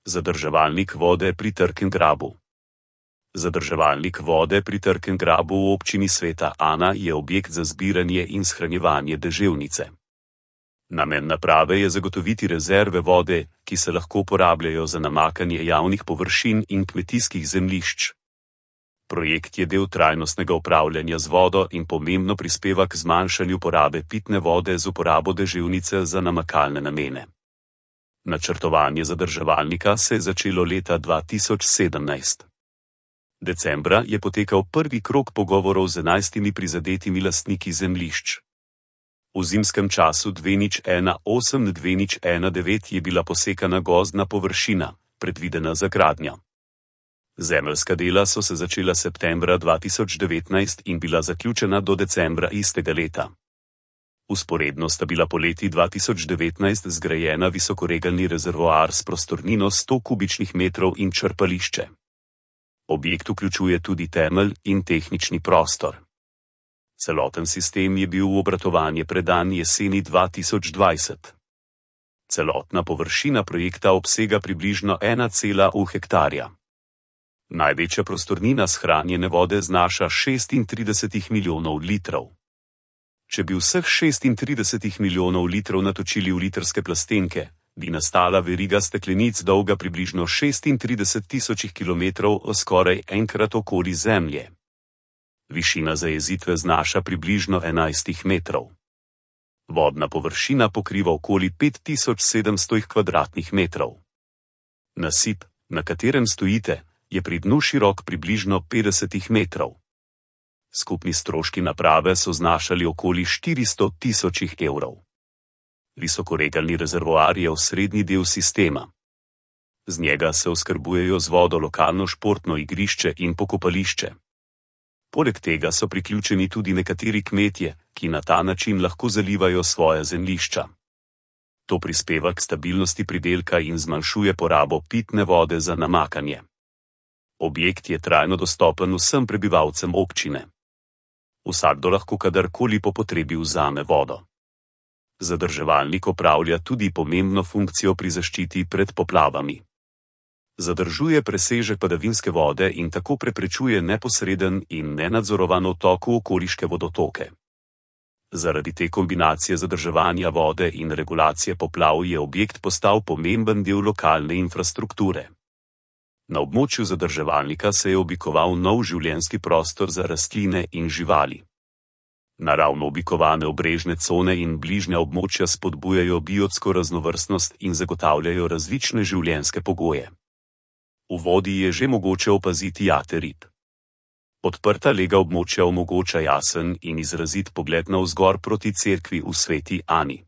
Zadrževalnik vode pri Trkem grabu. Zadrževalnik vode pri Trkem grabu v občini Sveta Ana je objekt za zbiranje in shranjevanje deževnice. Namen naprave je zagotoviti rezerve vode, ki se lahko uporabljajo za namakanje javnih površin in kmetijskih zemljišč. Projekt je del trajnostnega upravljanja z vodo in pomembno prispeva k zmanjšanju porabe pitne vode z uporabo deževnice za namakalne namene. Načrtovanje zadrževalnika se je začelo leta 2017. Decembra je potekal prvi krog pogovorov z 11 prizadetimi lastniki zemljišč. V zimskem času 2018-2019 je bila posekana gozdna površina, predvidena za gradnjo. Zemeljska dela so se začela septembra 2019 in bila zaključena do decembra istega leta. Vzporedno sta bila poleti 2019 zgrajena visokoregalni rezervoar s prostornino 100 kubičnih metrov in črpališče. Objekt vključuje tudi temelj in tehnični prostor. Celoten sistem je bil v obratovanje predan jeseni 2020. Celotna površina projekta obsega približno 1,1 hektarja. Največja prostornina shranjene vode znaša 36 milijonov litrov. Če bi vseh 36 milijonov litrov natočili v litrske plastenke, bi nastala veriga steklenic dolga približno 36 tisoč kilometrov skoraj enkrat okoli Zemlje. Višina zajezitve znaša približno 11 metrov. Vodna površina pokriva okoli 5700 kvadratnih metrov. Nasip, na katerem stojite, je pri dnu širok približno 50 metrov. Skupni stroški naprave so znašali okoli 400 tisoč evrov. Visokoregalni rezervoar je osrednji del sistema. Z njega se oskrbujejo z vodo lokalno športno igrišče in pokopališče. Poleg tega so priključeni tudi nekateri kmetje, ki na ta način lahko zalivajo svoja zemljišča. To prispeva k stabilnosti pridelka in zmanjšuje porabo pitne vode za namakanje. Objekt je trajno dostopen vsem prebivalcem občine. Vsakdo lahko kadarkoli po potrebi vzame vodo. Zadrževalnik opravlja tudi pomembno funkcijo pri zaščiti pred poplavami. Zadržuje presežek padavinske vode in tako preprečuje neposreden in nenadzorovan odtok v okoliške vodotoke. Zaradi te kombinacije zadrževanja vode in regulacije poplav je objekt postal pomemben del lokalne infrastrukture. Na območju zadrževalnika se je oblikoval nov življenjski prostor za rastline in živali. Naravno oblikovane obrežne cone in bližnja območja spodbujajo biotsko raznovrstnost in zagotavljajo različne življenjske pogoje. V vodi je že mogoče opaziti jate rib. Odprta lega območja omogoča jasen in izrazit pogled navzgor proti cerkvi v Sveti Ani.